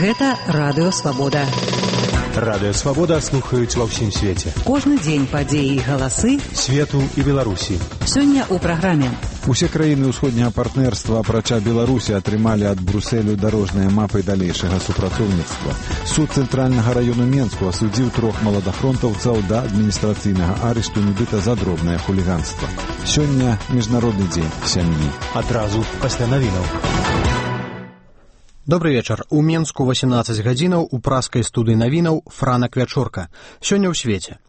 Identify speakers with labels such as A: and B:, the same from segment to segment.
A: Гэта Радыё Свабода.
B: Радыё Свабода слухаюць ва ўсім свеце.
A: Кожны дзень падзеі і галасы
B: свету і Беларусі.
A: Сёння ў праграме.
C: Усе краіны ўсходняга партнерства, апрача Беларусі, атрымалі ад Брусэлю дарожныя мапы далейшага супрацоўніцтва. Суд цэнтральнага раёну Менску асудзіў 3 маладафронтаўцаў да адміністрацыйнага арышту нібыта за дробнае хуліганства. Сёння міжнародны дзень сям'і.
B: Адразу пасля навінаў.
D: Добрый вечар. У Менску 18 гадзінаў у праскай студыі навінаў Франак Вячорка. Сёння ў свеце.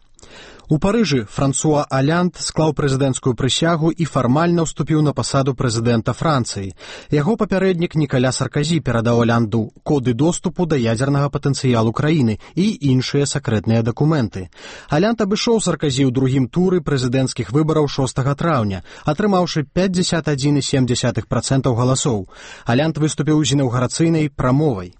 D: У Парыжы Франсуа Олянд склаў прэзідэнцкую прысягу і фармальна ўступіў на пасаду прэзідэнта Францыі. Яго папярэднік Нікаля Сарказі перадаў Олянду коды доступу да ядзернага патэнцыялу краіны і іншыя сакрэтныя дакументы. Олянд абышоў Сарказі ў другім туры прэзідэнцкіх выбараў 6 траўня, атрымаўшы 51,7% галасоў. Олянд выступіў з інаўгурацыйнай прамовай.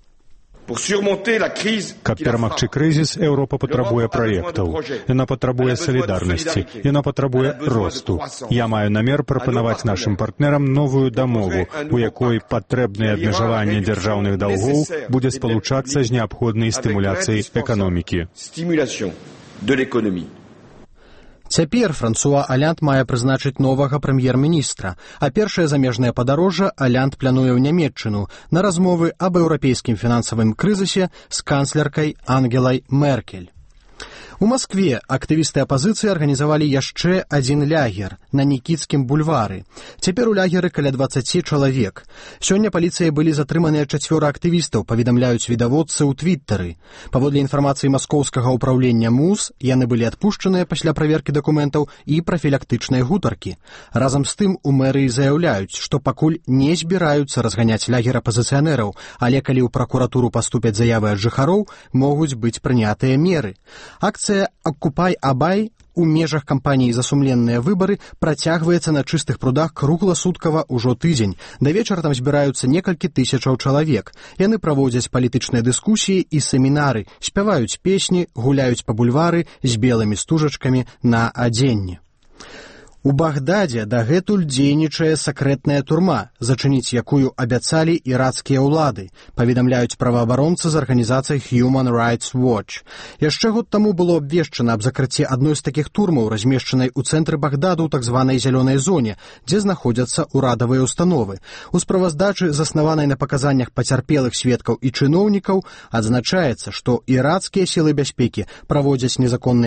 B: Каб перамагчы крызіс, Еўропа патрабуе праектаў. Яна патрабуе салідарнасці. Яна патрабуе росту. Я маю намер прапанаваць нашым партнерам новую дамову, у якой патрэбнае абмежаванне дзяржаўных даўгоў будзе спалучацца з неабходнай стымуляцыяй эканомікі.
D: Цяпер Франсуа Олянд мае прызначыць новага прэм'ер-міністра, а першае замежнае падарожжа Олянд плануе ў Нямецчыну на размовы аб еўрапейскім фінансавым крызісе з канцлеркай Ангелай Меркель. У Маскве актывісты апазіцыі арганізавалі яшчэ адзін лягер на Нікітскім бульвары. Цяпер у лягеры каля 20 чалавек. Сёння паліцыяй былі затрыманыя 4 актывістаў, паведамляюць відавочцы ў твіттары. Паводле інфармацыі маскоўскага ўпраўлення МУЗ, яны былі адпушчаныя пасля праверкі дакументаў і прафілактычнай гутаркі. Разам з тым у мэрыі заяўляюць, што пакуль не збіраюцца разганяць лягер апазіцыянераў, але калі ў пракуратуру паступяць заявы ад жыхароў, могуць быць прынятыя меры. Акцыя «Оккупай Абай» у межах кампаніі «За сумленныя выбары» працягваецца на Чыстых прудах кругласуткава ўжо тыдзень. Да вечара там збіраюцца некалькі тысячаў чалавек. Яны праводзяць палітычныя дыскусіі і семінары, спяваюць песні, гуляюць па бульвары з белымі стужачкамі на адзенні. У Багдадзе дагэтуль дзейнічае сакрэтная турма, зачыніць якую абяцалі ірацкія ўлады, паведамляюць праваабаронцы з арганізацыяй Human Rights Watch. Яшчэ год таму было абвешчана аб закрыцці адной з такіх турмаў, размешчанай у цэнтры Багдаду ў так званай зялёнай зоне, дзе знаходзяцца ўрадавыя установы. У справаздачы, заснаванай на паказаннях пацярпелых сведкаў і чыноўнікаў, адзначаецца, што ірацкія сілы бяспекі праводзяць незаконныя